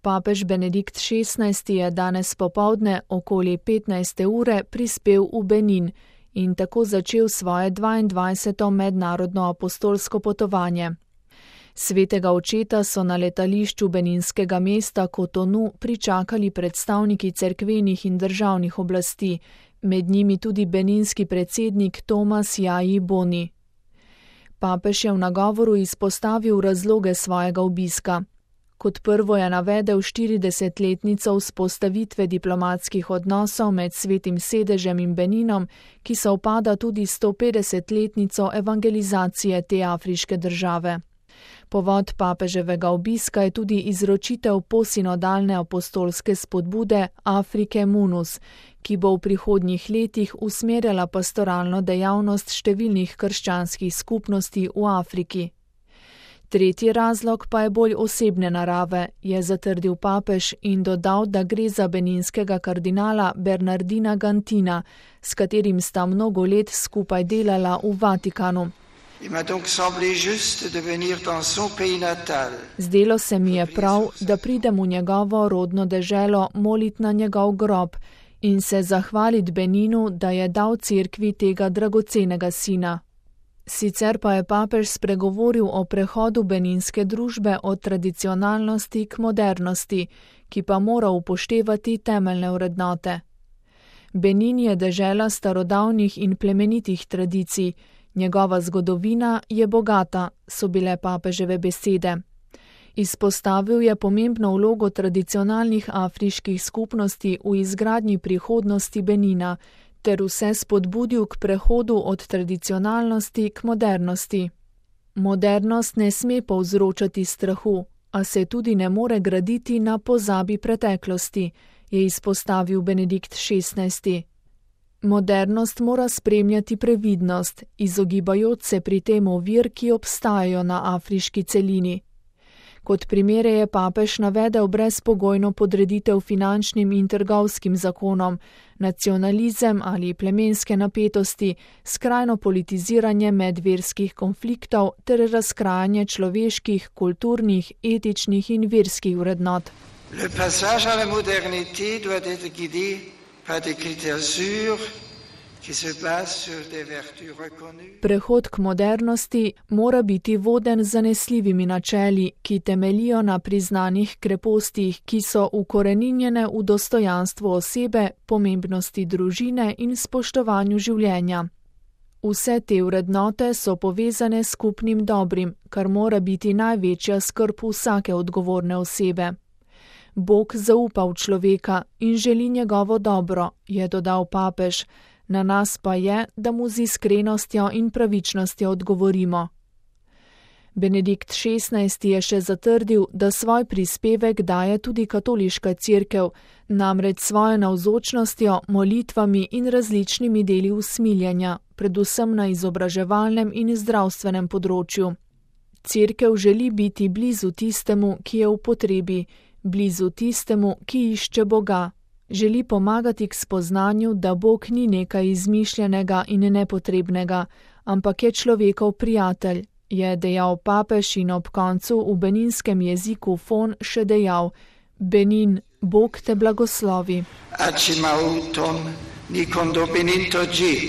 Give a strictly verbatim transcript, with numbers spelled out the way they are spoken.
Papež Benedikt šestnajsti je danes popoldne okoli petnajste ure prispel v Benin in tako začel svoje dvaindvajseto mednarodno apostolsko potovanje. Svetega očeta so na letališču beninskega mesta Kotonu pričakali predstavniki cerkvenih in državnih oblasti, med njimi tudi beninski predsednik Thomas Yayi Boni. Papež je v nagovoru izpostavil razloge svojega obiska. Kot prvo je navedel štiridesetletnico vzpostavitve diplomatskih odnosov med Svetim sedežem in Beninom, ki sovpada tudi s stopetdesetletnico evangelizacije te afriške države. Povod papeževega obiska je tudi izročitev posinodalne apostolske spodbude Afrike Munus, ki bo v prihodnjih letih usmerjala pastoralno dejavnost številnih krščanskih skupnosti v Afriki. Tretji razlog pa je bolj osebne narave, je zatrdil papež in dodal, da gre za beninskega kardinala Bernardina Gantina, s katerim sta mnogo let skupaj delala v Vatikanu. Zdelo se mi je prav, da pridem v njegovo rodno deželo molit na njegov grob in se zahvalit Beninu, da je dal cerkvi tega dragocenega sina. Sicer pa je papež spregovoril o prehodu beninske družbe od tradicionalnosti k modernosti, ki pa mora upoštevati temeljne vrednote. Benin je dežela starodavnih in plemenitih tradicij, njegova zgodovina je bogata, so bile papeževe besede. Izpostavil je pomembno vlogo tradicionalnih afriških skupnosti v izgradnji prihodnosti Benina, ter vse spodbudil k prehodu od tradicionalnosti k modernosti. Modernost ne sme povzročati strahu, a se tudi ne more graditi na pozabi preteklosti, je izpostavil Benedikt šestnajsti. Modernost mora spremljati previdnost, izogibajoč se pri tem ovir, ki obstajajo na afriški celini. Kot primere je papež navedel brezpogojno podreditev finančnim in trgovskim zakonom, nacionalizem ali plemenske napetosti, skrajno politiziranje medverskih konfliktov ter razkrajanje človeških, kulturnih, etičnih in verskih vrednot. Le passage à la modernité doit être guidé par des critères sûrs, ki se base sur des vertus reconnues. Prehod k modernosti mora biti voden z zanesljivimi načeli, ki temelijo na priznanih krepostih, ki so ukoreninjene v dostojanstvu osebe, pomembnosti družine in spoštovanju življenja. Vse te vrednote so povezane s skupnim dobrim, kar mora biti največja skrb vsake odgovorne osebe. Bog zaupa v človeka in želi njegovo dobro, je dodal papež. Na nas pa je, da mu z iskrenostjo in pravičnostjo odgovorimo. Benedikt šestnajsti je še zatrdil, da svoj prispevek daje tudi katoliška cerkev, namreč svojo navzočnostjo, molitvami in različnimi deli usmiljenja, predvsem na izobraževalnem in zdravstvenem področju. Cerkev želi biti blizu tistemu, ki je v potrebi, blizu tistemu, ki išče Boga. Želi pomagati k spoznanju, da Bog ni nekaj izmišljenega in nepotrebnega, ampak je človekov prijatelj, je dejal papež in ob koncu v beninskem jeziku Fon še dejal: Benin, Bog te blagoslovi. Acimauton, nikondo Benin toji.